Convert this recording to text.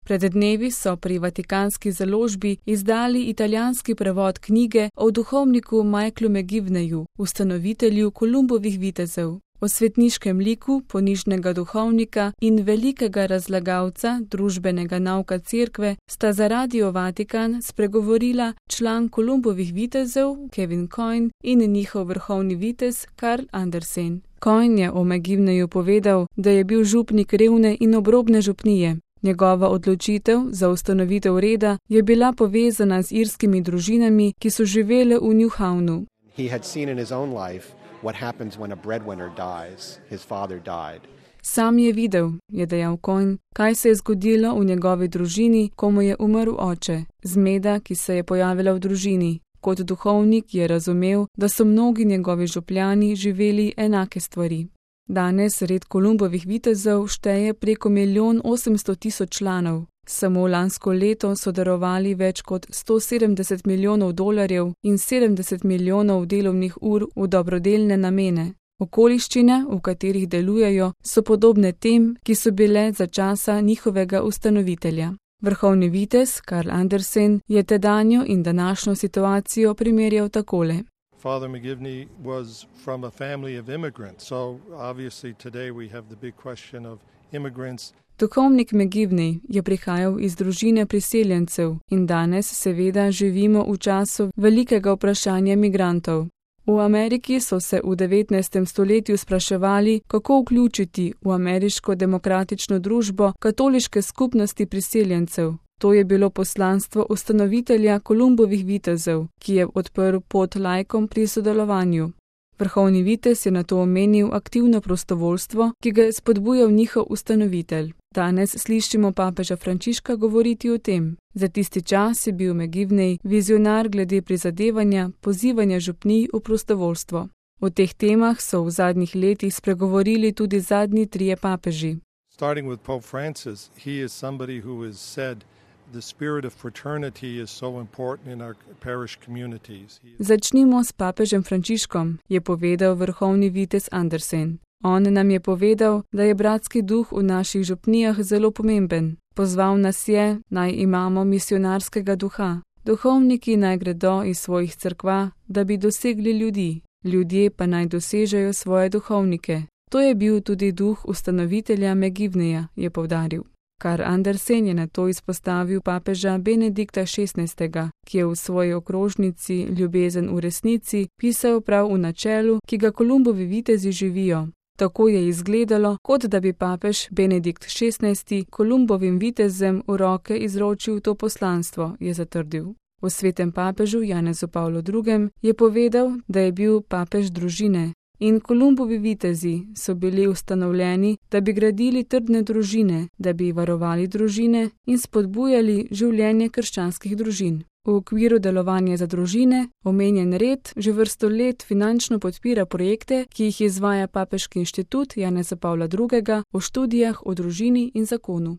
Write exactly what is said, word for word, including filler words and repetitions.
Pred dnevi so pri Vatikanski založbi izdali italijanski prevod knjige o duhovniku Michaelu McGivneyu, ustanovitelju Kolumbovih vitezov. O svetniškem liku ponižnega duhovnika in velikega razlagalca družbenega nauka cerkve sta za Radio Vatikan spregovorila član Kolumbovih vitezov Kevin Coyne in njihov vrhovni vitez Karl Andersen. Coyne je o McGivneyu povedal, da je bil župnik revne in obrobne župnije. Njegova odločitev za ustanovitev reda je bila povezana z irskimi družinami, ki so živele v Newhawnu. What happens when a breadwinner dies, his father died. Sam je videl, je dejal Coyne, kaj se je zgodilo v njegovi družini, ko mu je umrl oče, zmeda, ki se je pojavila v družini. Kot duhovnik je razumel, da so mnogi njegovi župljani živeli enake stvari. Danes red Kolumbovih vitezov šteje preko milijon osemsto tisoč članov. Samo lansko leto so darovali več kot sto sedemdeset milijonov dolarjev in sedemdeset milijonov delovnih ur v dobrodelne namene. Okoliščine, v katerih delujejo, so podobne tem, ki so bile za časa njihovega ustanovitelja. Vrhovni vitez Karl Andersen je tedanjo in današnjo situacijo primerjal takole. Father McGivney was from a family of immigrants, so obviously today we have the big question of immigrants. Duhovnik McGivney je prihajal iz družine priseljencev in danes seveda živimo v času velikega vprašanja migrantov. V Ameriki so se v devetnajstem stoletju spraševali, kako vključiti v ameriško demokratično družbo katoliške skupnosti priseljencev. To je bilo poslanstvo ustanovitelja Kolumbovih vitezov, ki je odprl pot laikom pri sodelovanju. Vrhovni vitez je nato omenil aktivno prostovoljstvo, ki ga je spodbujal njihov ustanovitelj. Danes slišimo papeža Frančiška govoriti o tem. Za tisti čas je bil McGivney vizionar glede prizadevanja, pozivanja župnij v prostovoljstvo. O teh temah so v zadnjih letih spregovorili tudi zadnji trije papeži. Starting with Pope Francis, he is somebody who has said the spirit of fraternity is so important in our parish communities. Začnimo s papežem Frančiškom, je povedal vrhovni vitez Andersen. On nam je povedal, da je bratski duh v naših župnijah zelo pomemben. Pozval nas je, naj imamo misionarskega duha. Duhovniki naj gredo iz svojih cerkva, da bi dosegli ljudi. Ljudje pa naj dosežejo svoje duhovnike. To je bil tudi duh ustanovitelja McGivneya, je poudaril. Karl Andersen je nato izpostavil papeža Benedikta šestnajstega, ki je v svoji okrožnici Ljubezen v resnici pisal prav v načelu, ki ga Kolumbovi vitezi živijo. Tako je izgledalo, kot da bi papež Benedikt šestnajsti Kolumbovim vitezem v roke izročil to poslanstvo, je zatrdil. O svetem papežu Janezu Pavlu drugem je povedal, da je bil papež družine. In Kolumbovi vitezi so bili ustanovljeni, da bi gradili trdne družine, da bi varovali družine in spodbujali življenje krščanskih družin. V okviru delovanja za družine omenjen red že vrsto let finančno podpira projekte, ki jih izvaja Papeški inštitut Janeza Pavla drugega o študijah o družini in zakonu.